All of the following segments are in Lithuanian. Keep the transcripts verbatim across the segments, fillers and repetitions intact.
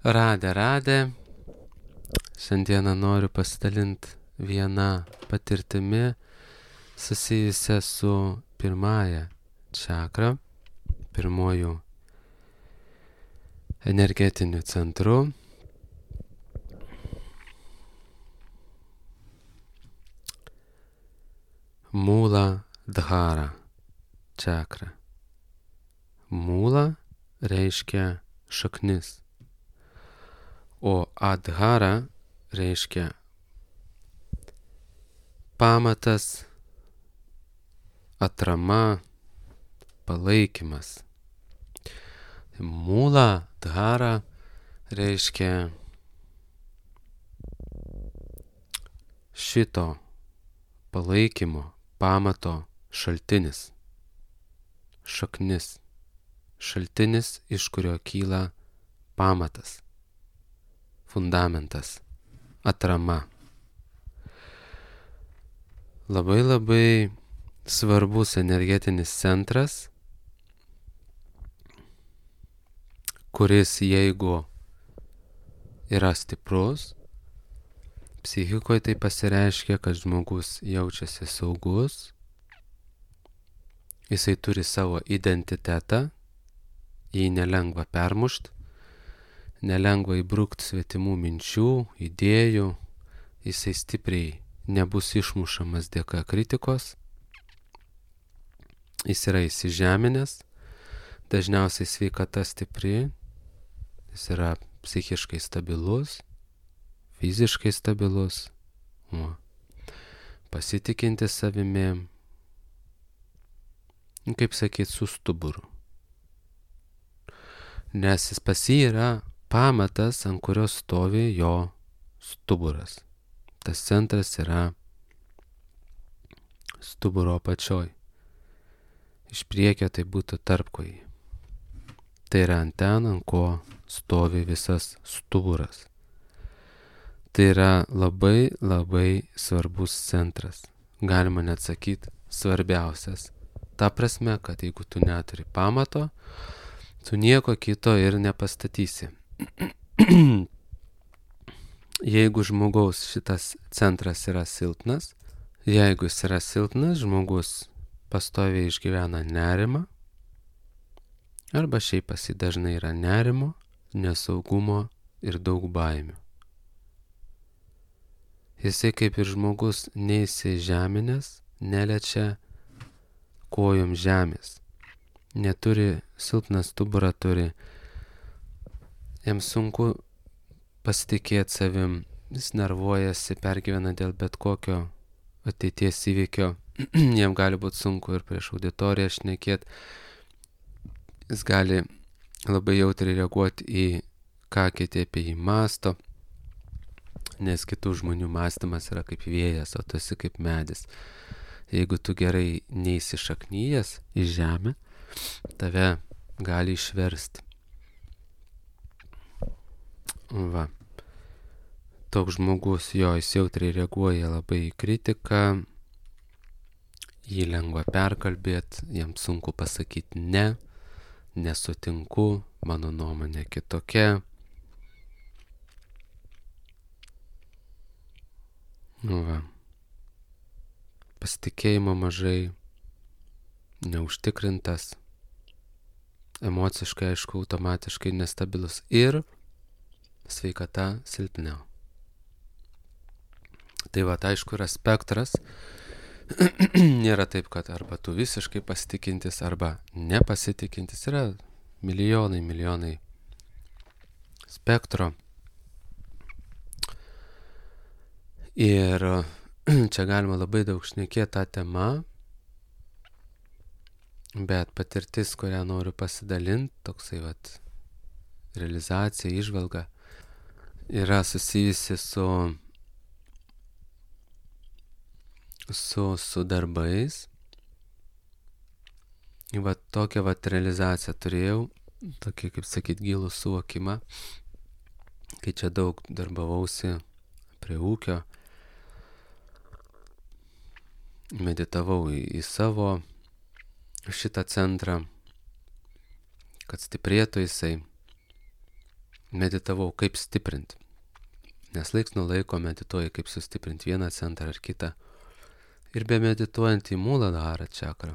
Radę, radę. Šiandieną noriu pasidalinti vieną patirtimi susijusią su pirmąja čakra, pirmojų energetiniu centru. Mūla dhara čakra. Mūla reiškia šaknis, o adhara reiškia pamatas, atrama, palaikymas. Mūla dhara reiškia šito palaikymo, pamato šaltinis, šaknis, šaltinis, iš kurio kyla pamatas, fundamentas, atrama. Labai labai svarbus energetinis centras, kuris jeigu yra stiprus, psichikoje tai pasireiškia, kad žmogus jaučiasi saugus, jisai turi savo identitetą, jį nelengva permušt, nelengva įbrukti svetimų minčių, idėjų, jisai stipriai nebus išmušamas dėka kritikos, jis yra įsižeminęs, dažniausiai sveikata stipri, jis yra psichiškai stabilus, fiziškai stabilus, o, pasitikintis savimi, kaip sakyt, su stuburu. Nes jis pas jį yra pamatas, ant kurio stovi jo stuburas. Tas centras yra stuburo apačioj. Iš priekio tai būtų tarpkojai. Tai yra ant ten, ant ko stovi visas stuburas. Tai yra labai labai svarbus centras. Galima net sakyti svarbiausias. Ta prasme, kad jeigu tu neturi pamato, tu nieko kito ir nepastatysi. Jeigu žmogaus šitas centras yra silpnas, jeigu jis yra silpnas, žmogus pastoviai išgyvena nerimą, arba šiaip pas jį dažnai yra nerimo, nesaugumo ir daug baimių. Jisai kaip ir žmogus neįsižeminęs, neliečia kojom žemės. Neturi, silpną stuburą turi, jam sunku pasitikėti savim, jis nervuojasi, pergyvena dėl bet kokio ateities įvykio, jam gali būti sunku ir prieš auditoriją šnekėti, jis gali labai jautriai reaguoti į ką kiti apie jį mąsto, nes kitų žmonių mąstymas yra kaip vėjas, o tu esi kaip medis. Jeigu tu gerai neįsišaknyjęs į žemę, tave gali išversti. Va. Toks žmogus, jo, jis jautriai reaguoja labai į kritiką, jį lengva perkalbėti, jam sunku pasakyti ne, nesutinku, mano nuomonė kitokia. Nu va. Pasitikėjimo mažai, neužtikrintas, emociškai, aišku, automatiškai nestabilus ir sveikata silpniau. Tai va, aišku, yra spektras. Nėra taip, kad arba tu visiškai pasitikintis, arba nepasitikintis. Yra milijonai, milijonai spektro. Ir čia galima labai daug šnekėti tą temą, bet patirtis, kurią noriu pasidalinti, toksai vat realizacija, įžvalga, yra susijusi su, su, su darbais. Va tokią vat realizaciją turėjau, tokį, kaip sakyt, gilų suvokimą, kai čia daug darbavausi prie ūkio. Meditavau į, į savo šitą centrą, kad stiprėtų jisai. meditavau, kaip stiprinti. Nes laiks nuo laiko medituoji, kaip sustiprinti vieną centrą ar kitą. Ir be medituojant į Muladhara čakrą,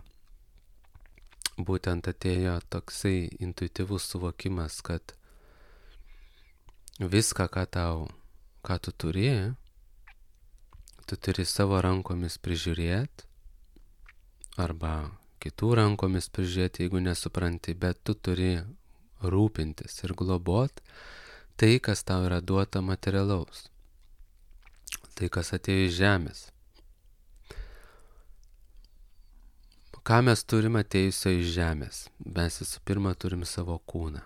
būtent atėjo toksai intuityvus suvokimas, kad viską, ką tau, ką tu turi, tu turi savo rankomis prižiūrėti, arba kitų rankomis prižiūrėti, jeigu nesupranti, bet tu turi rūpintis ir globot tai, kas tau yra duota materialaus, tai, kas atėjo iš žemės. Ką mes turime atėjusio iš žemės? Mes visų pirma turim savo kūną.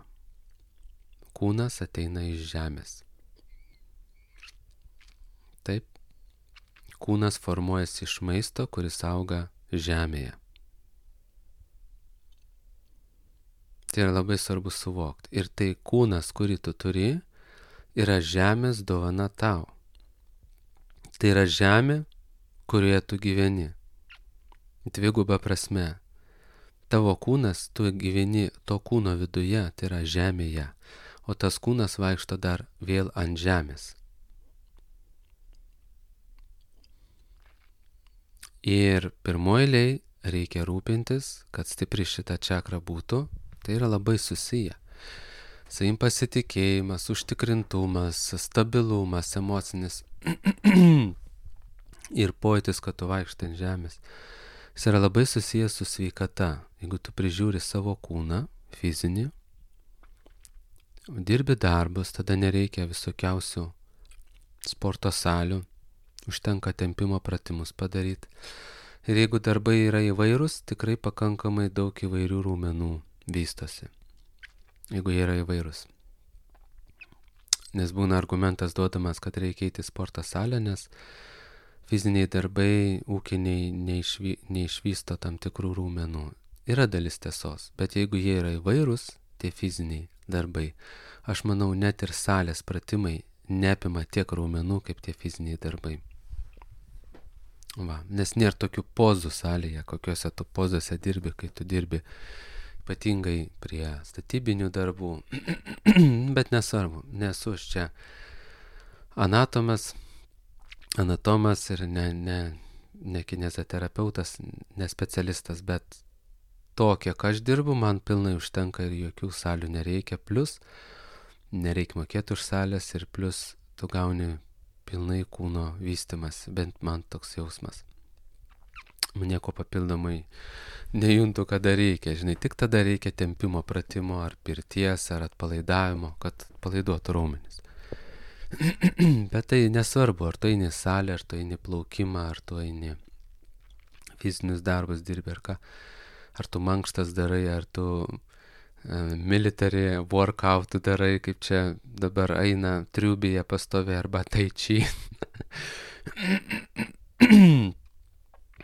Kūnas ateina iš žemės. Taip, kūnas formuojasi iš maisto, kuris auga žemėje. Tai yra labai svarbu suvokti. Ir tai kūnas, kurį tu turi, yra žemės dovana tau. Tai yra žemė, kurioje tu gyveni. Dviguba prasme. Tavo kūnas, tu gyveni to kūno viduje, tai yra žemėje, o tas kūnas vaikšto dar vėl ant žemės. Ir pirmoji eilėj reikia rūpintis, kad stipri šita čakra būtų. Tai yra labai susiję. Savim pasitikėjimas, užtikrintumas, stabilumas, emocinis ir pojūtis, kad tu vaikštai ant žemės. Jis yra labai susijęs su sveikata. Jeigu tu prižiūri savo kūną, fizinį, dirbi darbus, tada nereikia visokiausių sporto salių, užtenka tempimo pratimus padaryti. Ir jeigu darbai yra įvairūs, tikrai pakankamai daug įvairių raumenų vystosi, jeigu jie yra įvairūs. Nes būna argumentas duodamas, kad reikia eiti į sporto salę, nes fiziniai darbai ūkiniai neišvy, neišvysto tam tikrų raumenų. Yra dalis tiesos, bet jeigu jie yra įvairūs, tie fiziniai darbai, aš manau, net ir salės pratimai neapima tiek raumenų, kaip tie fiziniai darbai. Va, nes nėra tokių pozų salėje, kokiuose tu pozose dirbi, kai tu dirbi ypatingai prie statybinių darbų, bet nesvarbu, nesu aš čia anatomas, anatomas ir ne, ne, ne kineziterapeutas, ne specialistas, bet to, kiek aš dirbu, man pilnai užtenka ir jokių salių nereikia, plus nereikia mokėti už salės ir plus tu gauni pilnai kūno vystimas, bent man toks jausmas. Nieko papildomai nejuntu, kada reikia. Žinai, tik tada reikia tempimo pratimo ar pirties ar atpalaidavimo, kad palaiduotų raumenis. Bet tai nesvarbu, ar tu eini į salę, ar tu eini plaukimą, ar tu eini fizinius darbus dirbi, ar ką. Ar tu mankštas darai, ar tu uh, military workout darai, kaip čia dabar eina triubėje pastovi, arba tai chi.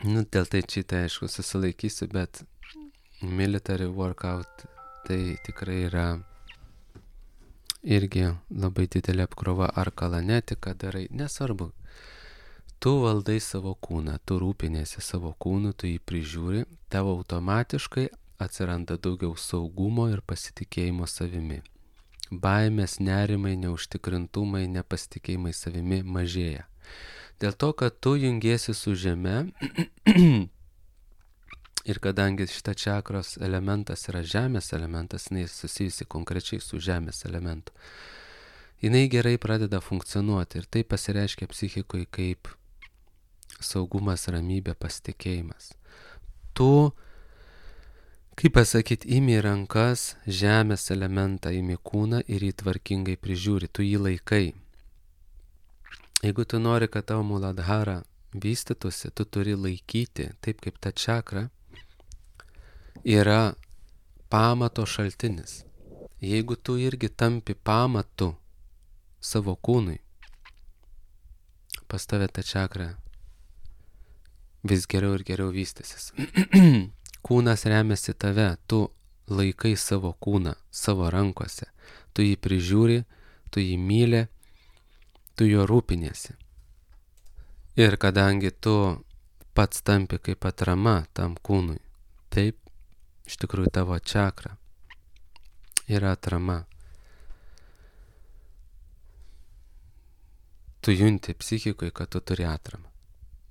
Nu, dėl tai čia tai aišku susilaikysiu, bet military workout tai tikrai yra irgi labai didelė apkrova, ar kalanetika darai, nesvarbu. Tu valdai savo kūną, tu rūpinėsi savo kūnu, tu jį prižiūri, tavo automatiškai atsiranda daugiau saugumo ir pasitikėjimo savimi. Baimės, nerimai, neužtikrintumai, nepasitikėjimai savimi mažėja. Dėl to, kad tu jungiesi su žeme ir kadangi šita čakros elementas yra žemės elementas, jinai susijusi konkrečiai su žemės elementu, jinai gerai pradeda funkcionuoti ir tai pasireiškia psichikoje kaip saugumas, ramybė, pasitikėjimas. Tu, kaip pasakyti, imi rankas žemės elementą, imi kūną ir jį tvarkingai prižiūri, tu jį laikai. Jeigu tu nori, kad tavo Muladhara vystytųsi, tu turi laikyti, taip kaip ta čakra yra pamato šaltinis. Jeigu tu irgi tampi pamatu savo kūnui, pas tave ta čakra vis geriau ir geriau vystysis. Kūnas remiasi tave, tu laikai savo kūną savo rankose, tu jį prižiūri, tu jį myli, tu jo rūpiniesi. Ir kadangi tu pats tampi kaip atrama tam kūnui, taip, iš tikrųjų tavo čakra yra atrama. tu junti psichikoje, kad tu turi atramą.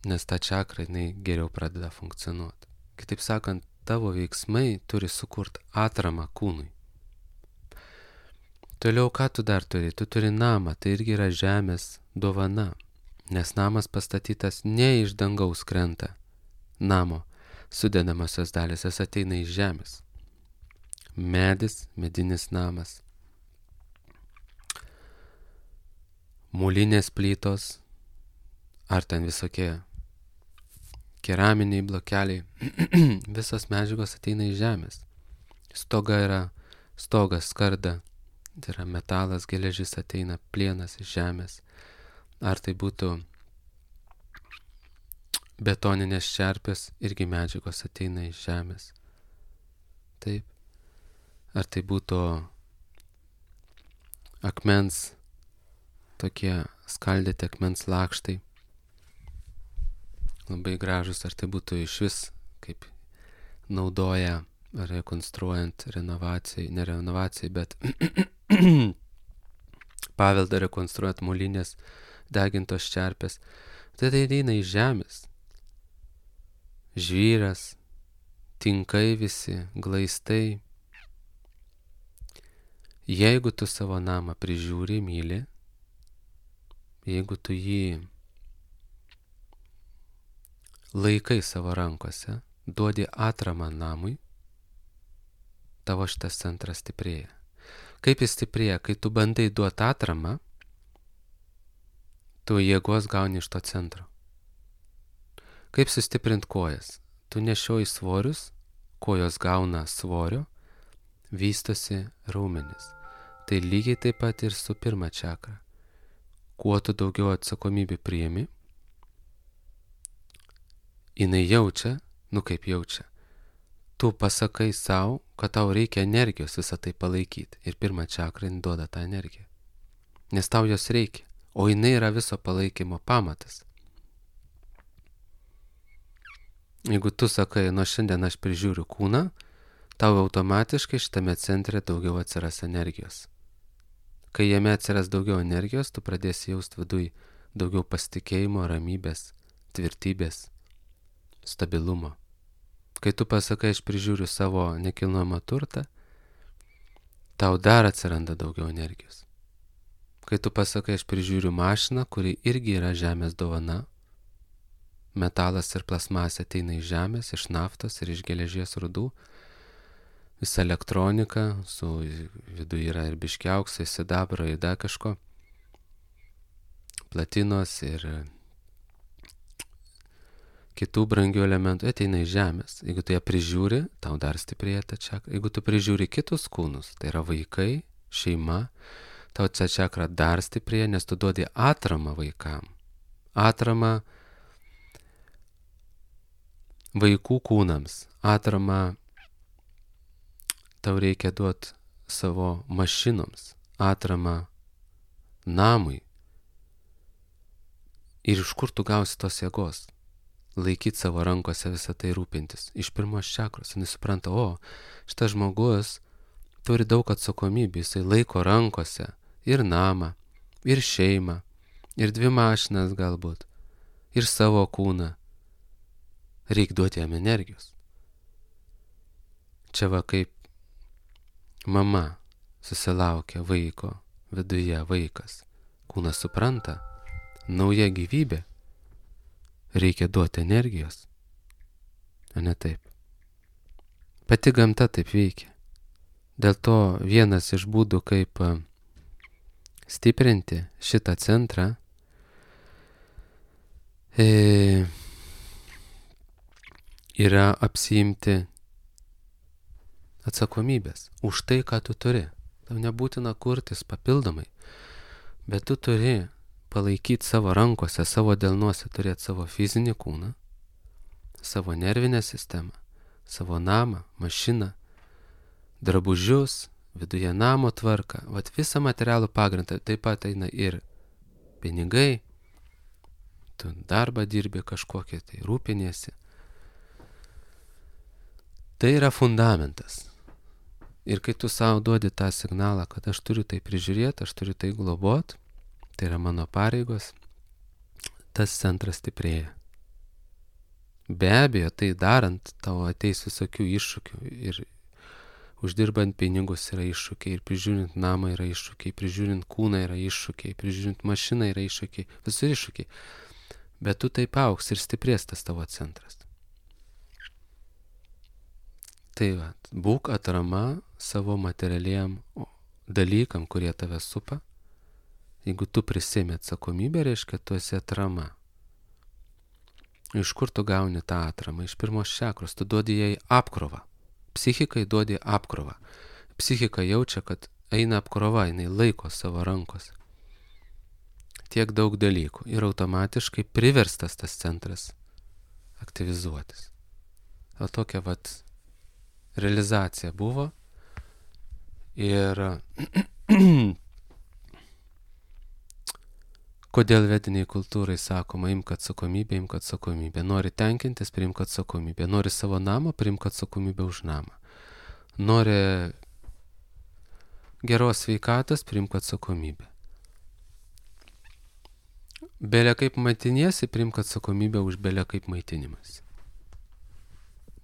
Nes ta čakra, jinai geriau pradeda funkcionuoti. Kitaip sakant, tavo veiksmai turi sukurti atramą kūnui. Toliau, ką tu dar turi? Tu turi namą, tai irgi yra žemės dovana. Nes namas pastatytas ne iš dangaus krenta. Namo sudedamosios dalys, jis ateina iš žemės. Medis, medinis namas. Molinės plytos, ar ten visokie keraminiai blokeliai, visos medžiagos ateina iš žemės. Stoga yra, stogas skarda, tai yra metalas, geležis ateina, plienas iš žemės. Ar tai būtų betoninės čerpės, irgi medžiagos ateina iš žemės. Taip. Ar tai būtų akmens, tokie skaldyti akmens lakštai, labai gražus, ar tai būtų iš vis, kaip naudoja rekonstruojant renovacijai, ne renovacijai, bet paveldą rekonstruojant molinės degintos čerpės. Tai tai ateina iš žemės. Žvyras, tinkai visi, glaistai. Jeigu tu savo namą prižiūri, myli, jeigu tu jį laikai savo rankose, duodi atramą namui, tavo šitas centras stiprėja. Kaip jis stiprėja? Kai tu bandai duoti atramą, tu jėgos gauni iš to centro. Kaip sustiprint kojas? Tu nešioji svorius, kojos gauna svorio, vystosi raumenis. Tai lygiai taip pat ir su pirma čakra. Kuo tu daugiau atsakomybę priimi, jinai jaučia, nu kaip jaučia, tu pasakai savo, kad tau reikia energijos visą tai palaikyti. Ir pirma čakra jinai duoda tą energiją. Nes tau jos reikia, o jinai yra viso palaikymo pamatas. Jeigu tu sakai, nuo šiandien aš prižiūriu kūną, tau automatiškai šitame centre daugiau atsiras energijos. Kai jame atsiras daugiau energijos, tu pradėsi jausti viduj daugiau pasitikėjimo, ramybės, tvirtybės, stabilumo. Kai tu pasakai, aš prižiūriu savo nekilnojamą turtą, tau dar atsiranda daugiau energijos. Kai tu pasakai, aš prižiūriu mašiną, kuri irgi yra žemės dovana, metalas ir plasmasė ateina iš žemės, iš naftos ir iš geležies rūdų, visa elektronika, su viduje yra ir biški aukso, sidabro, ir dar kažko, platinos ir kitų brangių elementų ateina iš žemės. Jeigu tu ją prižiūri, tau dar stiprėja ta čakra. Jeigu tu prižiūri kitus kūnus, tai yra vaikai, šeima, tau ta čakra dar stiprėja, nes tu duodi atramą vaikam. Atramą vaikų kūnams. Atramą tau reikia duoti savo mašinoms. Atramą namui. Ir iš kur tu gausi tos jėgos? Laikyti savo rankose visą tai rūpintis. Iš pirmos čakros. Jis supranta, o, šitas žmogus turi daug atsakomybių. Jisai laiko rankose ir namą, ir šeimą, ir dvi mašinas galbūt, ir savo kūną. Reikia duoti jam energijos. Čia va kaip mama susilaukia vaiko, viduje vaikas. Kūnas supranta, nauja gyvybė. Reikia duoti energijos. O ne taip. Pati gamta taip veikia. Dėl to vienas iš būdų, kaip stiprinti šitą centrą, e, yra apsiimti atsakomybės už tai, ką tu turi. Tau nebūtina kurtis papildomai, bet tu turi palaikyti savo rankose, savo delnuose, turėti savo fizinį kūną, savo nervinę sistemą, savo namą, mašiną, drabužius, viduje namo tvarką, vat visą materialų pagrindą. Taip pat eina ir pinigai, tu darbą dirbi kažkokią, tai rūpiniesi. Tai yra fundamentas. Ir kai tu savo duodi tą signalą, kad aš turiu tai prižiūrėti, aš turiu tai globoti, tai yra mano pareigos, tas centras stiprėja. Be abejo, tai darant, tau ateis visokių iššūkių ir uždirbant pinigus yra iššūkiai, ir prižiūrint namą yra iššūkiai, prižiūrint kūną yra iššūkiai, prižiūrint mašiną yra iššūkiai, visur iššūkiai. Bet tu taip augs ir stiprės tas tavo centras. Tai va, būk atrama savo materialiem dalykam, kurie tave supa. Jeigu tu prisimi atsakomybę, reiškia, tu esi atrama. Iš kur tu gauni tą atramą? Iš pirmos čakros. Tu duodi jai apkrovą. Psichikai duodi apkrovą. Psichika jaučia, kad eina apkrova, jinai laiko savo rankos. Tiek daug dalykų. Ir automatiškai priverstas tas centras aktyvizuotis. O tokia vat realizacija buvo. Ir kodėl vediniai kultūrai sakoma, imk atsakomybę, imk atsakomybę. Nori tenkintis, priimk atsakomybę. Nori savo namą, priimk atsakomybę už namą. Nori geros sveikatos, priimk atsakomybę. Belia kaip maitiniesi, priimk atsakomybę už belia kaip maitinimas.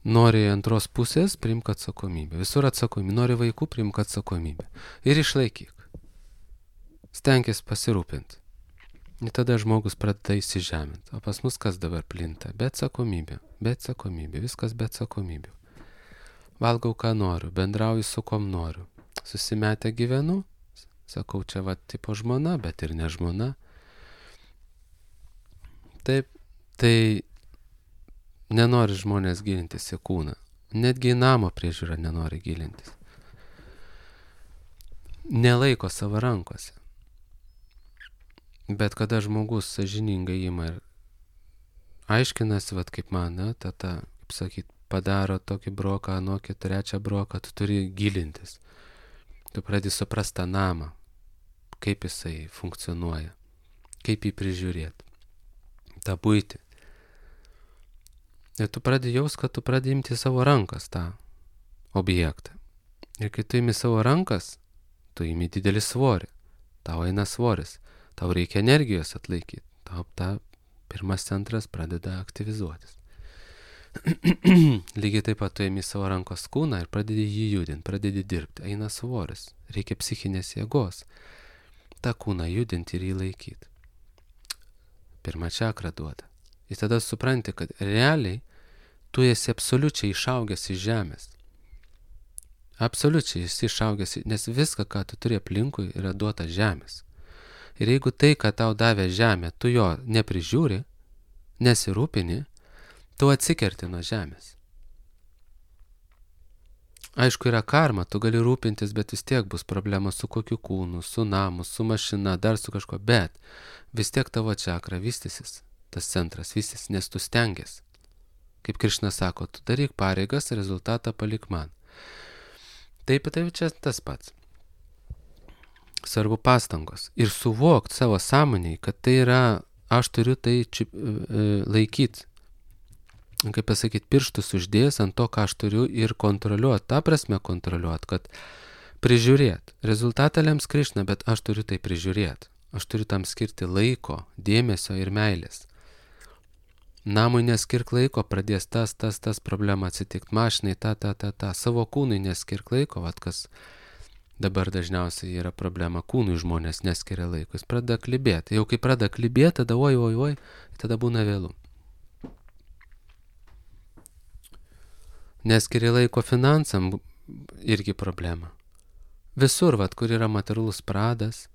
Nori antros pusės, priimk atsakomybę. Visur atsakomybė. Nori vaikų, priimk atsakomybę. Ir išlaikyk. Stenkis pasirūpinti. Ir tada žmogus pradeda įsižeminti. O pas mus kas dabar plinta? Be atsakomybė. Be atsakomybė. Viskas be atsakomybių. Valgau, ką noriu. Bendrauju su kom noriu. Susimetę gyvenu. Sakau, čia va tipo žmona, bet ir ne žmona. Taip, tai nenori žmonės gilintis į kūną. Netgi į namo priežiūrą nenori gilintis. Nelaiko savo rankose. Bet kada žmogus sąžiningai ima ir aiškinasi, vat kaip man, ne, tata, kaip sakyt, padaro tokį broką, anokį, trečią broką, tu turi gilintis. Tu pradedi suprast tą namą, kaip jisai funkcionuoja, kaip jį prižiūrėti, tą buitį. Ir tu pradedi jaus, kad tu pradedi imti savo rankas tą objektą. Ir kai tu imi savo rankas, tu imi didelį svorį, tau eina svoris. Tau reikia energijos atlaikyti. Tau ta pirmas centras pradeda aktyvizuotis. Lygiai taip pat tu ėmi savo rankos kūną ir pradedi jį judinti, pradedi dirbti. Eina svoris. Reikia psichinės jėgos. Ta kūną judinti ir jį laikyti. Pirmą čakrą duoda. Ir tada supranti, kad realiai tu esi absoliučiai išaugęs iš žemės. Absoliučiai esi išaugęs, nes viską, ką tu turi aplinkui, yra duota žemės. Ir jeigu tai, ką tau davė žemė, tu jo neprižiūri, nesirūpini, tu atsikerti nuo žemės. Aišku, yra karma, tu gali rūpintis, bet vis tiek bus problema su kokiu kūnu, su namu, su mašina, dar su kažko, bet vis tiek tavo čakra vystysis, tas centras vystysis, nes tu stengies. Kaip Krišna sako, tu daryk pareigas, rezultatą palik man. Taip, tai čia tas pats. Svarbu pastangos. Ir suvokti savo sąmoniai, kad tai yra, aš turiu tai čip, laikyti. Kaip pasakyti, pirštus uždėjęs ant to, ką aš turiu ir kontroliuoti. Ta prasme kontroliuoti, kad prižiūrėti. Rezultatą lems Krišna, bet aš turiu tai prižiūrėti. Aš turiu tam skirti laiko, dėmesio ir meilės. Namui neskirk laiko, pradės tas, tas, tas problema atsitikti. Mašinai, ta, ta, ta, ta. Savo kūnui neskirk laiko, vat kas dabar dažniausiai yra problema. Kūnui žmonės neskiria laiko. Jis pradeda klibėti. Jau kai pradeda klibėti, tada oi, oi, oi, tada būna vėlu. Neskiria laiko finansam, irgi problema. Visur, vat, kur yra materialus pradas.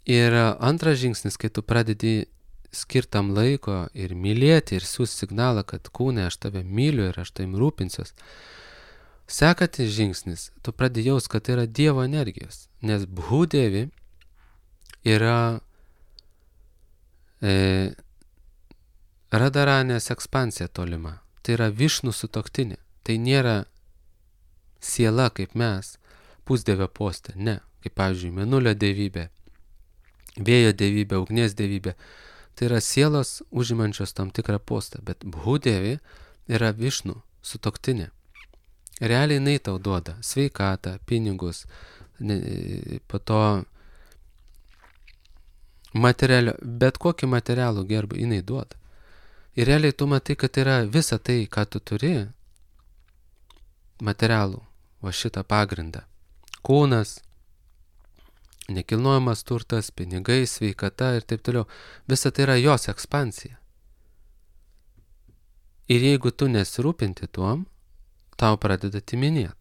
Ir antras žingsnis, kai tu pradedi skirtam laiko ir mylėti ir siūs signalą, kad kūne aš tave myliu ir aš taim rūpinsiuos. Sekantis žingsnis, tu pradedi jaus, kad tai yra Dievo energijos, nes Bhudevi yra e, Radaranės ekspansija tolima. Tai yra Višnų sutuoktinė. Tai nėra siela kaip mes, pusdievio poste, ne. Kaip pavyzdžiui, Mėnulio dievybė, vėjo dievybė, ugnies dievybė. Tai yra sielos užimančios tam tikrą postą, bet Bhudevi yra Višnų sutuoktinė. Realiai jinai tau duoda sveikatą, pinigus, po to materialio, bet kokį materialų gerbą jinai duoda. Ir realiai tu matai, kad yra visa tai, ką tu turi, materialų, va šitą pagrindą. Kūnas, nekilnojamas turtas, pinigai, sveikata ir taip toliau. Visa tai yra jos ekspansija. Ir jeigu tu nesirūpinti tuom, tau pradeda timinėti.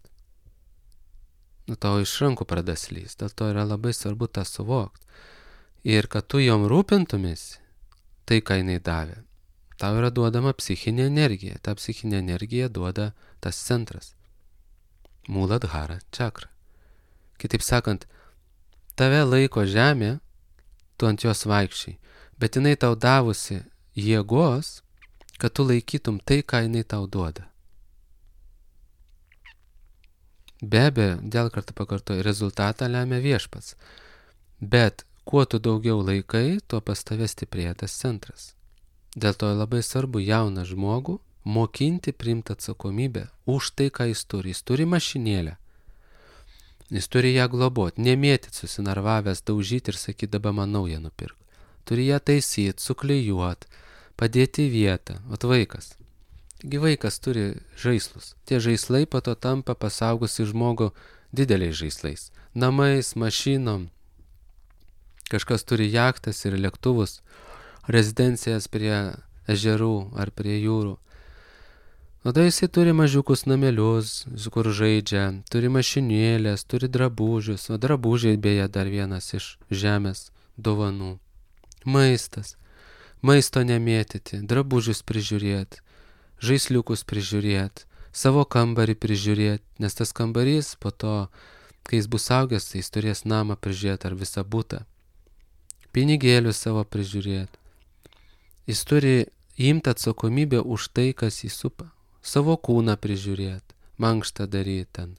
Nu, tau iš rankų pradeda slysti. Dėl to yra labai svarbu tą suvokti. Ir kad tu jom rūpintumėsi, tai ką jinai davė, tau yra duodama psichinė energija. Ta psichinė energija duoda tas centras. Muladhara čakra. Kitaip sakant, tave laiko žemė, tu ant jos vaikščiai, bet jinai tau davusi jėgos, kad tu laikytum tai, ką jinai tau duoda. Be abejo, dėl kartą pakartoju, rezultatą lemia viešpats. Bet kuo tu daugiau laikai, tuo pas tave stiprėja tas centras. Dėl to labai svarbu jauną žmogų mokinti priimti atsakomybę už tai, ką jis turi. Jis turi mašinėlę. Jis turi ją globoti, nemėtyti susinarvavęs, daužyti ir sakyti, dabar man naują nupirk. Turi ją taisyti, suklijuoti, padėti į vietą. Vat vaikas. Taigi vaikas turi žaislus. Tie žaislai po to tampa pasaugusi žmogų dideliais žaislais. Namais, mašinom. Kažkas turi jachtas ir lėktuvus, rezidencijas prie ežerų ar prie jūrų. Tada jisai turi mažiukus namelius, kur žaidžia, turi mašinėlės, turi drabužius, o drabužiai beje dar vienas iš žemės dovanų. Maistas. Maisto nemėtyti, drabužius prižiūrėti, žaisliukus prižiūrėti, savo kambarį prižiūrėti, nes tas kambarys po to, kai jis bus augęs, tai jis turės namą prižiūrėti ar visą butą. Pinigėlius savo prižiūrėti. Jis turi imti atsakomybę už tai, kas jį supa. Savo kūną prižiūrėti, mankštą daryti ten.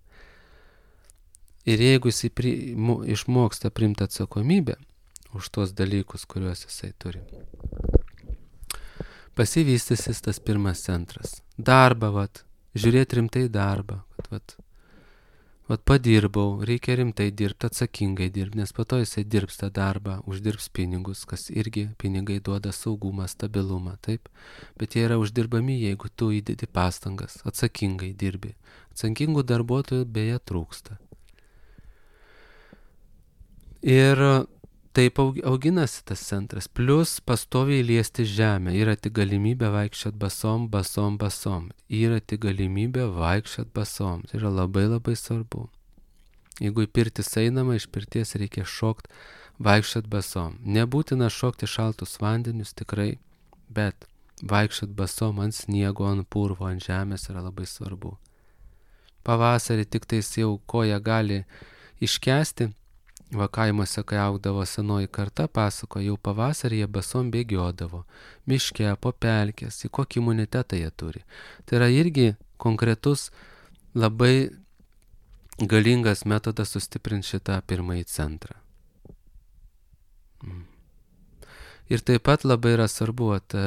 Ir jeigu jisai pri, mo, išmoksta priimti atsakomybę už tuos dalykus, kuriuos jisai turi, pasivystysis tas pirmas centras. Darbą, vat, žiūrėti rimtai darbą, kad vat, vat padirbau, reikia rimtai dirbti, atsakingai dirbti, nes po to jisai dirbs tą darbą, uždirbs pinigus, kas irgi pinigai duoda saugumą, stabilumą, taip, bet jie yra uždirbami, jeigu tu įdedi pastangas, atsakingai dirbi. Atsakingų darbuotojų beje trūksta. Ir taip auginasi tas centras, plus pastoviai liesti žemę, yra tik galimybė vaikščiot basom, basom, basom, yra tik galimybė vaikščiot basom, tai yra labai labai svarbu. Jeigu į pirtis einama, iš pirties reikia šokti, vaikščiot basom. Nebūtina šokti šaltus vandenius tikrai, bet vaikščiot basom ant sniego, ant purvo, ant žemės yra labai svarbu. Pavasarį tik tais jau koja gali iškesti. Va kaimuose, kai augdavo senoji karta, pasako, jau pavasarį jie basom bėgiodavo, miške, po pelkės, į kokį imunitetą jie turi. Tai yra irgi konkretus, labai galingas metodas sustiprinti šitą pirmąjį centrą. Ir taip pat labai yra svarbu, at,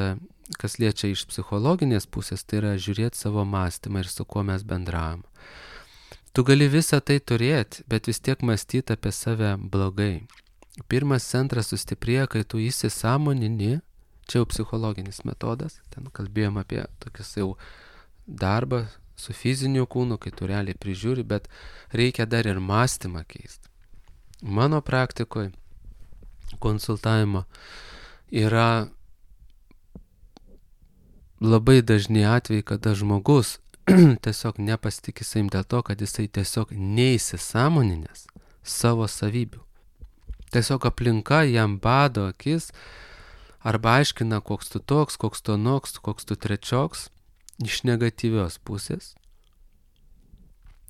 kas liečia iš psichologinės pusės, tai yra žiūrėti savo mąstymą ir su kuo mes bendravom. Tu gali visą tai turėti, bet vis tiek mąstyti apie save blogai. Pirmas centras sustiprėja, kai tu įsisąmonini, čia jau psichologinis metodas, ten kalbėjom apie tokius jau darbą su fiziniu kūnu, kai tu realiai prižiūri, bet reikia dar ir mąstymą keisti. Mano praktikoje konsultavimo yra labai dažni atvejai, kada žmogus tiesiog nepasitikė savim dėl to, kad jisai tiesiog neįsisąmoninęs savo savybių. Tiesiog aplinka jam bado akis arba aiškina, koks tu toks, koks tu anoks, koks tu trečioks iš negatyvios pusės.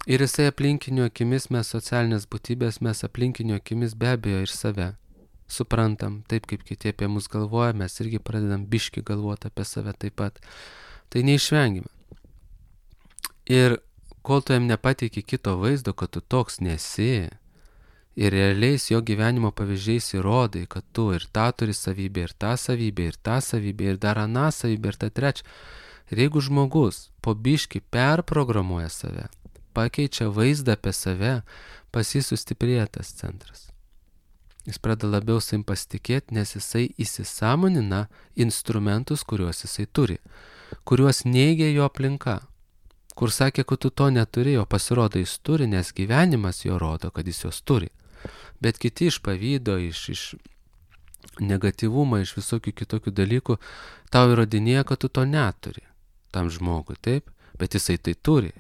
Ir jisai aplinkinių akimis, mes socialinės būtybės, mes aplinkinių akimis be abejo ir save suprantam, taip kaip kiti apie mus galvoja, mes irgi pradedam biški galvoti apie save taip pat. Tai neišvengime. Ir kol tu jam nepateiki kito vaizdo, kad tu toks nesi, ir realiais jo gyvenimo pavyzdžiais įrodai, kad tu ir tą turi savybę, ir tą savybę, ir tą savybę, ir dar aną savybę, ir tą trečią. Ir jeigu žmogus po biškį perprogramuoja save, pakeičia vaizdą apie save, pas jį sustiprėja tas centras. Jis pradeda labiau savim pasitikėti, nes jisai įsisąmonina instrumentus, kuriuos jisai turi, kuriuos neigia jo aplinka. Kur sakė, kad tu to neturi, o pasirodo jis turi, nes gyvenimas jo rodo, kad jis jos turi. Bet kiti iš pavydo, iš, iš negatyvumo, iš visokių kitokių dalykų, tau įrodinėja, kad tu to neturi tam žmogui, taip? Bet jisai tai turi.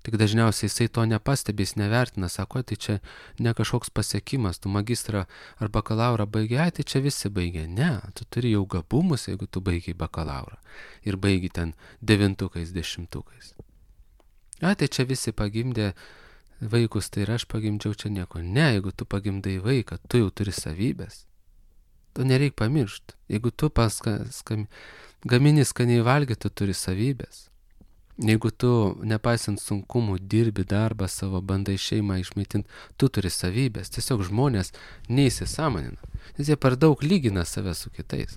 Tik dažniausiai jisai to nepastebi, jis nevertina, sako, tai čia ne kažkoks pasiekimas, tu magistrą ar bakalaurą baigi, ai, tai čia visi baigė. Ne, tu turi jau gabumus, jeigu tu baigiai bakalaurą ir baigi ten devintukais, dešimtukais. Ai, tai čia visi pagimdė vaikus, tai ir aš pagimdžiau čia nieko. Ne, jeigu tu pagimdai vaiką, tu jau turi savybės. To nereik pamiršti. Jeigu tu paska, skam, gamini skaniai valgyti, tu turi savybės. Jeigu tu, nepaisant sunkumų, dirbi darbą savo, bandai šeimą išmaitinti, tu turi savybės. Tiesiog žmonės neįsisąmonina, nes jie per daug lygina save su kitais.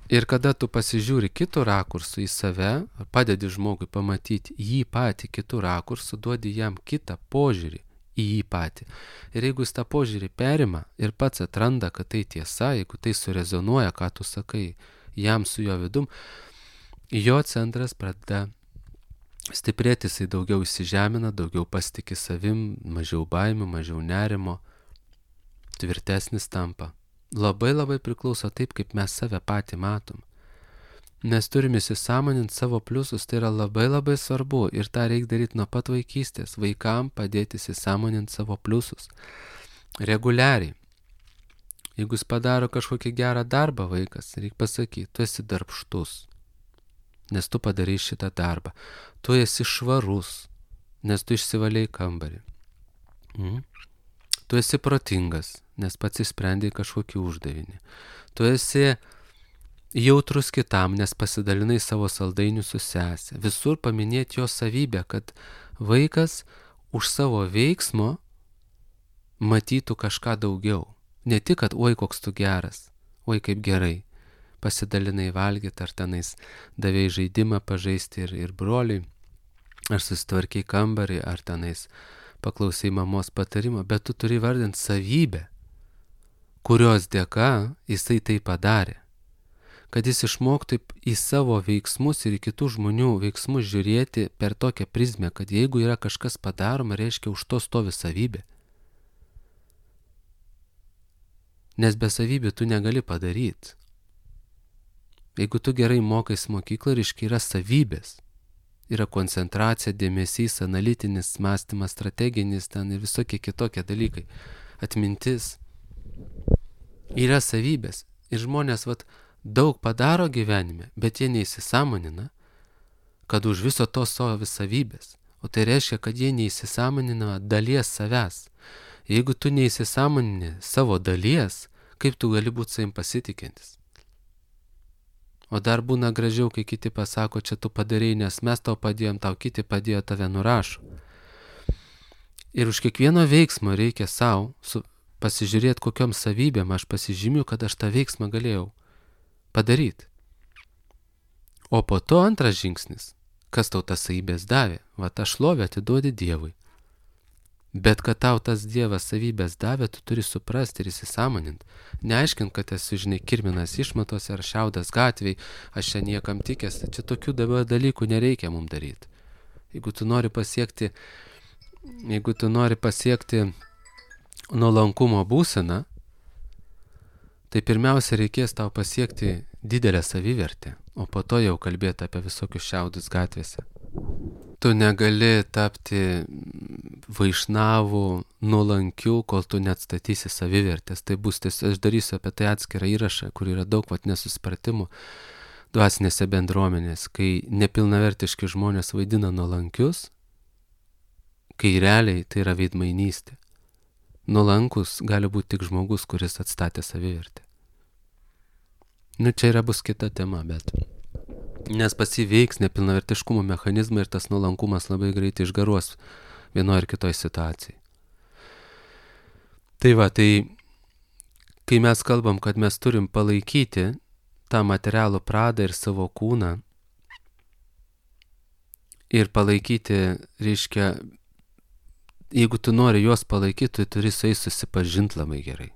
Ir kada tu pasižiūri kitų rakursų į save, padedi žmogui pamatyti jį patį kitų rakursų, duodi jam kitą požiūrį į jį patį. Ir jeigu jis tą požiūrį perima ir pats atranda, kad tai tiesa, jeigu tai surezonuoja, ką tu sakai, jam su jo vidum, jo centras pradeda stiprėti, jisai daugiau įsižemina, daugiau pasitiki savim, mažiau baimių, mažiau nerimo, tvirtesnis tampa. Labai labai priklauso taip, kaip mes save patį matom. Mes turime įsisąmoninti savo pliusus, tai yra labai labai svarbu ir tą reikia daryti nuo pat vaikystės, vaikam padėti įsisąmoninti savo pliusus. Reguliariai. Jeigu jis padaro kažkokį gerą darbą vaikas, reikia pasakyti, tu esi darbštus, nes tu padarai šitą darbą. Tu esi švarus, nes tu išsivalėjai kambarį. Mm. Tu esi protingas, nes pats išsprendai kažkokį uždavinį. Tu esi jautrus kitam, nes pasidalinai savo saldainių su sesė. Visur paminėti jo savybę, kad vaikas už savo veiksmo matytų kažką daugiau. Ne tik, kad oi koks tu geras, oi kaip gerai, pasidalinai valgyti, ar tenais davėjai žaidimą pažaisti ir, ir broliai, ar susitvarkiai kambarį, ar tenais paklausai mamos patarimo, bet tu turi vardinti savybę, kurios dėka jisai tai padarė. Kad jis išmoktų į savo veiksmus ir į kitų žmonių veiksmus žiūrėti per tokią prizmę, kad jeigu yra kažkas padaroma, reiškia už to stovi savybė. Nes be savybių tu negali padaryti. Jeigu tu gerai mokais mokyklą, reiškia yra savybės. Yra koncentracija, dėmesys, analitinis mąstymas, strateginis ten ir visokie kitokie dalykai. Atmintis. Yra savybės. Ir žmonės vat, daug padaro gyvenime, bet jie neįsisąmonina, kad už viso to stovi savybės. O tai reiškia, kad jie neįsisąmonina dalies savęs. Jeigu tu neįsisąmonini savo dalies, kaip tu gali būti savim pasitikintis? O dar būna gražiau, kai kiti pasako, čia tu padarėjai, nes mes tau padėjom, tau kiti padėjo, tave nurašo. Ir už kiekvieno veiksmo reikia savo pasižiūrėti, kokiom savybėm aš pasižymiu, kad aš tą veiksmą galėjau padaryti. O po to antras žingsnis, kas tau tas savybės davė, va tą šlovę atiduodi Dievui. Bet kad tau tas Dievas savybės davė, tu turi suprasti ir įsisąmoninti. Neaiškint, kad esu, žinai, kirminas išmatose ar šiaudas gatviai, aš čia niekam tikęs, čia tokių dabar dalykų nereikia mums daryti. Jeigu tu nori pasiekti, jeigu tu nori pasiekti nuolankumo būseną, tai pirmiausia reikės tau pasiekti didelę savivertę, o po to jau kalbėti apie visokius šiaudus gatvėse. Tu negali tapti vaišnavų, nuolankių, kol tu neatstatysi savivertės. Tai bus, tiesiog, aš darysiu apie tai atskirą įrašą, kur yra daug vat nesusipratimų dvasinėse bendruomenės, kai nepilnavertiški žmonės vaidina nuolankius, kai realiai tai yra veidmainystė. Nuolankus gali būti tik žmogus, kuris atstatė savivertę. Nu, čia yra bus kita tema, bet... Nes pasiveiks nepilnavertiškumo mechanizmai ir tas nuolankumas labai greitai išgaruos vienoje ar kitoje situacijai. Tai va, tai kai mes kalbam, kad mes turim palaikyti tą materialų pradą ir savo kūną ir palaikyti, reiškia, jeigu tu nori juos palaikyti, tu turi su jais susipažinti labai gerai.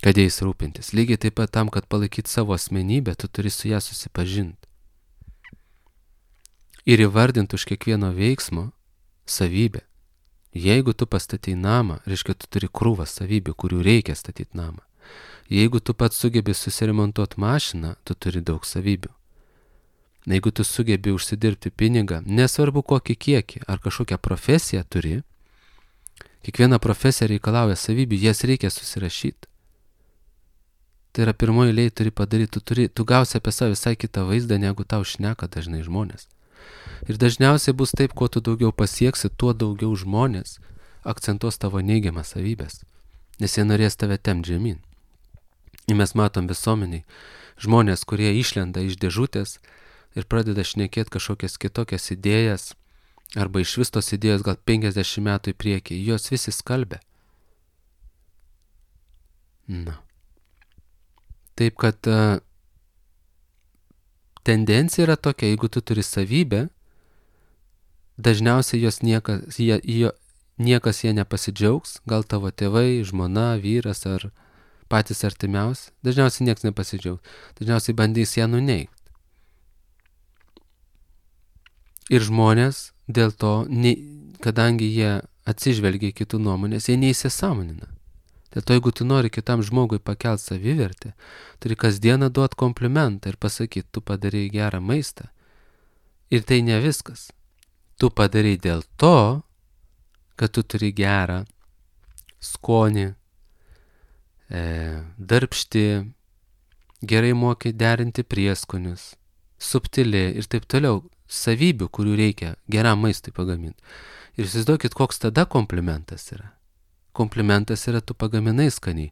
Kad jais rūpintis. Lygiai taip pat tam, kad palaikyti savo asmenybę, tu turi su ją susipažinti. Ir įvardinti už kiekvieno veiksmo savybę. Jeigu tu pastatai namą, reiškia, tu turi krūvą savybių, kurių reikia statyti namą. Jeigu tu pats sugebi susiremontuoti mašiną, tu turi daug savybių. Jeigu tu sugebi užsidirbti pinigą, nesvarbu kokį kiekį ar kažkokią profesiją turi, kiekviena profesija reikalauja savybių, jas reikia susirašyti. Tai yra pirmoji eilėje turi padaryti, tu, turi, tu gausi apie save visai kitą vaizdą, negu tau šneka dažnai žmonės. Ir dažniausiai bus taip, kuo tu daugiau pasieksi, tuo daugiau žmonės akcentuos tavo neigiamas savybės, nes jie norės tave tempt žemyn. Ir mes matom visuomeniai žmonės, kurie išlenda iš dėžutės ir pradeda šnekėti kažkokias kitokias idėjas, arba iš vis tos idėjos gal penkiasdešimt metų į priekį, jos visi skalbia. Na. Taip, kad uh, tendencija yra tokia, jeigu tu turi savybę, dažniausiai jos niekas, jie, jie, niekas jie nepasidžiaugs, gal tavo tėvai, žmona, vyras ar patys artimiausi, dažniausiai niekas nepasidžiaugs, dažniausiai bandys ją nuneigti. Ir žmonės dėl to, ne, kadangi jie atsižvelgia į kitų nuomonės, jie neįsisąmonina. Dėl to, jeigu tu nori kitam žmogui pakelti savivertę, turi kasdieną duoti komplimentą ir pasakyti, tu padarai gerą maistą. Ir tai ne viskas. Tu padarai dėl to, kad tu turi gerą skonį, e, darbšti, gerai moki derinti prieskonius, subtili ir taip toliau, savybių, kurių reikia geram maistui pagaminti. Ir įsivaizduokit, koks tada komplimentas yra. Komplimentas yra, tu pagaminai skaniai,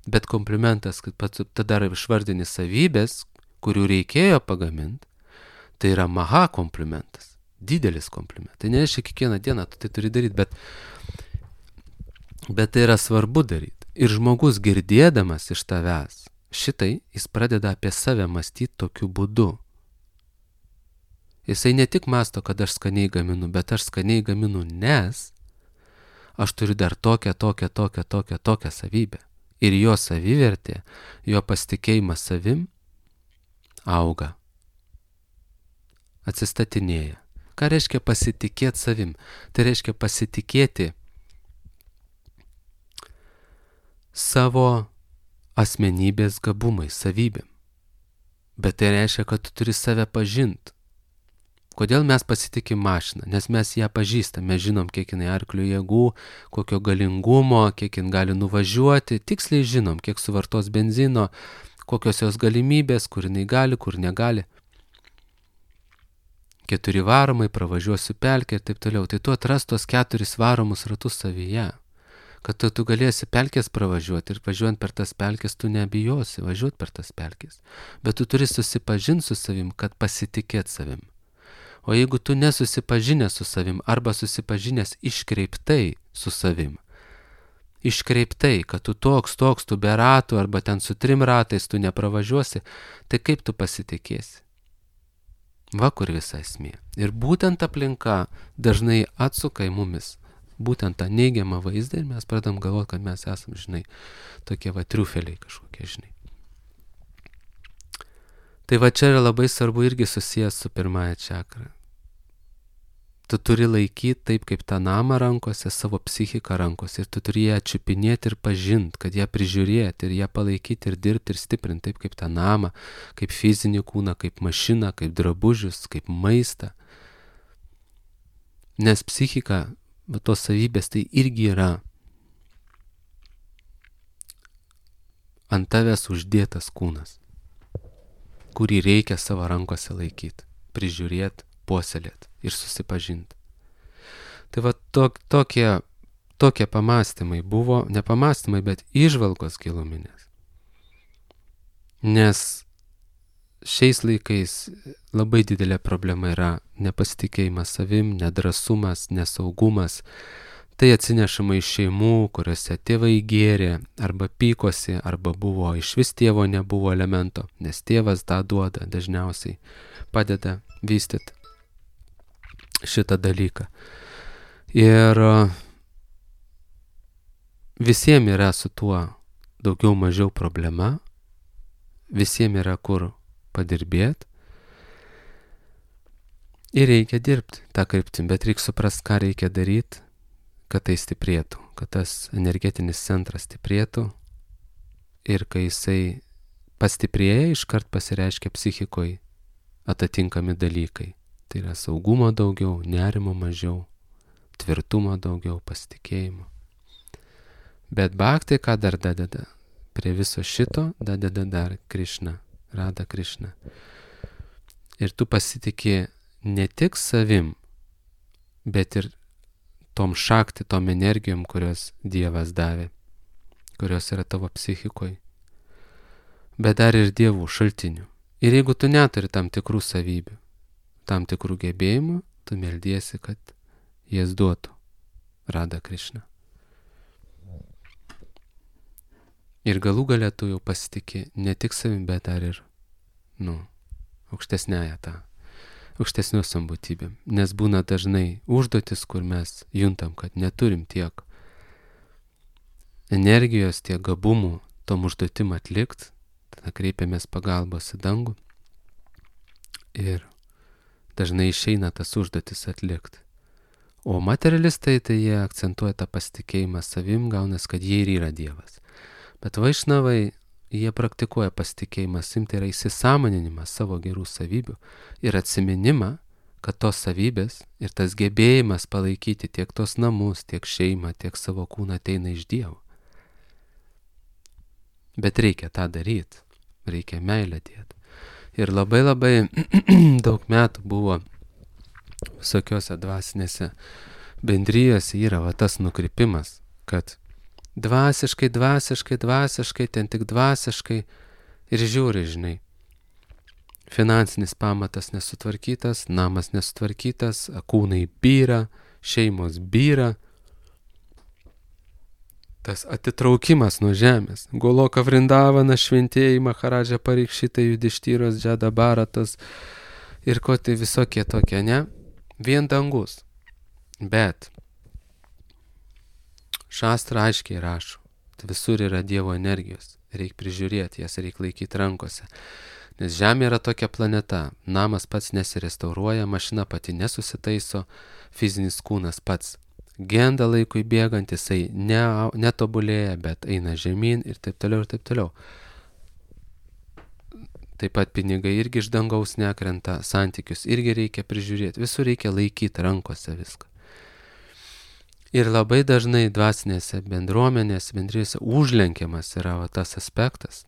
bet komplimentas, kad pats tada išvardini savybės, kurių reikėjo pagaminti, tai yra maha komplimentas, didelis komplimentas. Tai nereiškia kiekvieną dieną tu tai turi daryti, bet, bet tai yra svarbu daryti. Ir žmogus girdėdamas iš tavęs šitai, jis pradeda apie save mąstyti tokiu būdu. Jisai ne tik mąsto, kad aš skaniai gaminu, bet aš skaniai gaminu, nes aš turiu dar tokią, tokią, tokią, tokią, tokią savybę. Ir jo savivertė, jo pasitikėjimas savim auga, atsistatinėja. Ką reiškia pasitikėti savim? Tai reiškia pasitikėti savo asmenybės gabumais, savybėm. Bet tai reiškia, kad tu turi save pažinti. Kodėl mes pasitikim mašiną? Nes mes ją pažįstam, mes žinom, kiek jinai arklių jėgų, kokio galingumo, kiek jin gali nuvažiuoti, tiksliai žinom, kiek suvartos benzino, kokios jos galimybės, kur jinai gali, kur negali. Keturi varomai, pravažiuosiu pelkę ir taip toliau. Tai tu atras tos keturis varomus ratus savyje, kad tu, tu galėsi pelkės pravažiuoti ir važiuojant per tas pelkės tu nebijosi važiuoti per tas pelkės. Bet tu turi susipažinti su savim, kad pasitikėt savim. O jeigu tu nesusipažinęs su savim arba susipažinęs iškreiptai su savim, iškreiptai, kad tu toks, toks, tu be ratų arba ten su trim ratais tu nepravažiuosi, tai kaip tu pasitikėsi? Va kur visa esmė. Ir būtent aplinka dažnai atsuka į mumis būtent tą neigiamą vaizdą ir mes pradam galvoti, kad mes esam, žinai, tokie va triufeliai kažkokie, žinai. Tai va čia yra labai svarbu irgi susijęs su pirmąja čakra. Tu turi laikyti taip kaip tą namą rankose, savo psichiką rankose ir tu turi ją čiupinėti ir pažinti, kad ją prižiūrėti ir ją palaikyti ir dirbti ir stiprinti taip kaip tą namą, kaip fizinį kūną, kaip mašiną, kaip drabužius, kaip maistą. Nes psichika, tos savybės tai irgi yra ant tavęs uždėtas kūnas, kurį reikia savo rankose laikyti, prižiūrėti, puoselėti ir susipažinti. Tai va tok, tokie, tokie pamastymai buvo, ne pamastymai, bet įžvalgos giluminės. Nes šiais laikais labai didelė problema yra nepasitikėjimas savim, nedrasumas, nesaugumas. Tai atsinešama iš šeimų, kuriuose tėvai gėrė, arba pykosi, arba buvo iš vis tėvo nebuvo elemento, nes tėvas tą duoda dažniausiai, padeda vystyti šitą dalyką. Ir visiems yra su tuo daugiau mažiau problema, visiems yra kur padirbėti ir reikia dirbti tą kryptim, bet reikia suprasti, ką reikia daryti, kad tai stiprėtų, kad tas energetinis centras stiprėtų ir kai jisai pastiprėja, iškart pasireiškia psichikoje atitinkami dalykai. Tai yra saugumo daugiau, nerimo mažiau, tvirtumo daugiau, pasitikėjimo. Bet bhakti ką dar dadeda? Prie viso šito dadeda dar Krišna, Rada Krišna. Ir tu pasitikė ne tik savim, bet ir tom šakti, tom energijom, kurios Dievas davė, kurios yra tavo psichikoje, bet dar ir dievų šaltinių. Ir jeigu tu neturi tam tikrų savybių, tam tikrų gebėjimų, tu meldiesi, kad jas duotų Rada Krišna. Ir galų gale tu jau pasitikė ne tik savim, bet dar ir, nu, aukštesnėje tą, aukštesniuosiom būtybėm. Nes būna dažnai užduotis, kur mes juntam, kad neturim tiek energijos, tiek gabumų tom užduotim atlikt, tada kreipiamės pagalbos į dangų ir dažnai išeina tas užduotis atlikt. O materialistai tai jie akcentuoja tą pasitikėjimą savim, gaunas, kad jie ir yra Dievas. Bet vaišnavai, jie praktikuoja pasitikėjimą savim, tai yra įsisąmoninimas savo gerų savybių ir atsiminimą, kad tos savybės ir tas gebėjimas palaikyti tiek tos namus, tiek šeimą, tiek savo kūną ateina iš Dievo. Bet reikia tą daryti, reikia meilę dėti. Ir labai labai daug metų buvo visokiose dvasinėse bendrijose yra va tas nukrypimas, kad dvasiškai, dvasiškai, dvasiškai, ten tik dvasiškai ir žiūri, žinai. Finansinis pamatas nesutvarkytas, namas nesutvarkytas, kūnai byra, šeimos byra. Tas atitraukimas nuo žemės. Goloka Vrindavana, šventieji, Maharadža Parikšitai, Judištyros, Džada Baratas ir ko tai visokie tokie, ne? Vien dangus. Bet šastra aiškiai rašo, tai visur yra Dievo energijos. Reikia prižiūrėti jas, reikia laikyti rankose. Nes Žemė yra tokia planeta. Namas pats nesirestauruoja, mašina pati nesusitaiso, fizinis kūnas pats genda laikui bėgant, jisai ne, netobulėja, bet eina žemyn ir taip toliau ir taip toliau. Taip pat pinigai irgi iš dangaus nekrenta, santykius irgi reikia prižiūrėti, visur reikia laikyti rankose viską. Ir labai dažnai dvasinėse bendruomenėse, bendrijose užlenkiamas yra va, tas aspektas.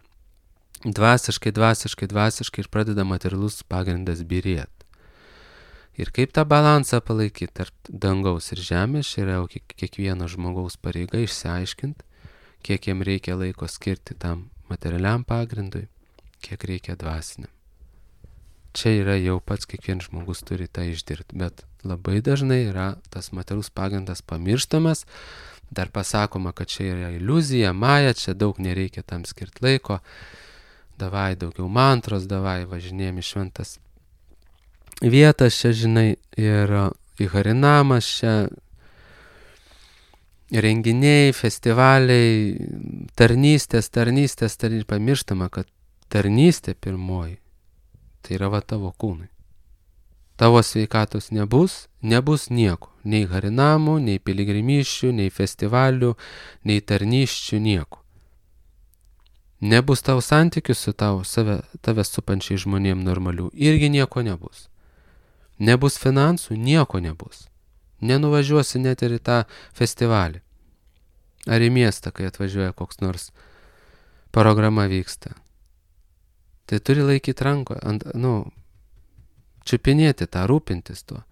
Dvasiškai, dvasiškai, dvasiškai ir pradeda materialus pagrindas byrėti. Ir kaip tą balansą palaikyti tarp dangaus ir žemės, yra jau kiekvieno žmogaus pareiga išsiaiškinti, kiek jam reikia laiko skirti tam materialiam pagrindui, kiek reikia dvasiniam. Čia yra jau pats kiekvienas žmogus turi tą išdirbti, bet labai dažnai yra tas materialus pagrindas pamirštamas, dar pasakoma, kad čia yra iliuzija, maja, čia daug nereikia tam skirti laiko, davai daugiau mantros, davai važinėjami šventas vietas čia, žinai, ir į Harinamas čia renginiai, festivaliai, tarnystės, tarnystės, tarnystės, pamirštama, kad tarnystė pirmoji, tai yra va tavo kūnai. Tavo sveikatos nebus, nebus nieko, nei Harinamų, nei piligrimysčių, nei festivalių, nei tarnysčių, nieko. Nebus tavo santykių su tavo, save, tave supančiai žmonėm normalių, irgi nieko nebus. Nebus finansų, nieko nebus. Nenuvažiuosi net ir į tą festivalį. Ar į miestą, kai atvažiuoja koks nors programa vyksta. Tai turi laikyti ranko, ant, nu, čiupinėti tą, rūpintis tuo.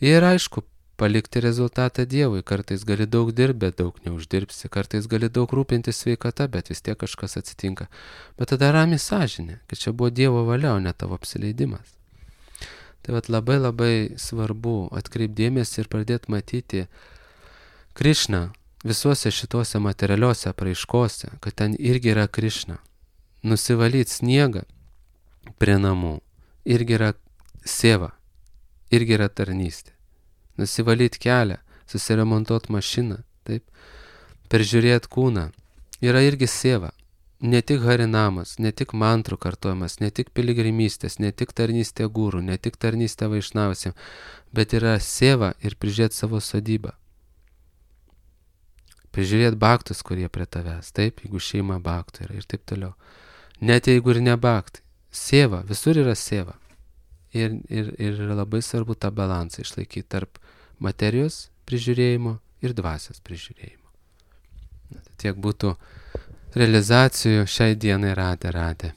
Ir aišku, palikti rezultatą Dievui. Kartais gali daug dirbti, bet daug neuždirbsi. Kartais gali daug rūpintis sveikata, bet vis tiek kažkas atsitinka. Bet tada rami sąžinė, kad čia buvo Dievo valia, o ne tavo apsileidimas. Tai vat labai labai svarbu atkreipdėmėsi ir pradėti matyti Krišną visuose šituose materialiuose apraiškose, kad ten irgi yra Krišna. Nusivalyti sniegą prie namų irgi yra seva, irgi yra tarnystė. Nusivalyti kelią susiremontuot mašiną, taip, peržiūrėt kūną. Yra irgi sieva. Ne tik harinamas, ne tik mantrų kartojimas, ne tik piligrimystės, ne tik tarnystė gūrų, ne tik tarnystė vaišnausiam, bet yra sieva ir prižiūrėt savo sodybą. Prižiūrėt baktus, kurie prie tavęs, taip, jeigu šeima baktų yra ir taip toliau. Net jeigu ir ne baktai. Sieva, visur yra sieva. Ir, ir, ir yra labai svarbu tą balansą išlaikyti tarp materijos prižiūrėjimo ir dvasios prižiūrėjimo. Tiek būtų realizacijų šiai dienai radę radę.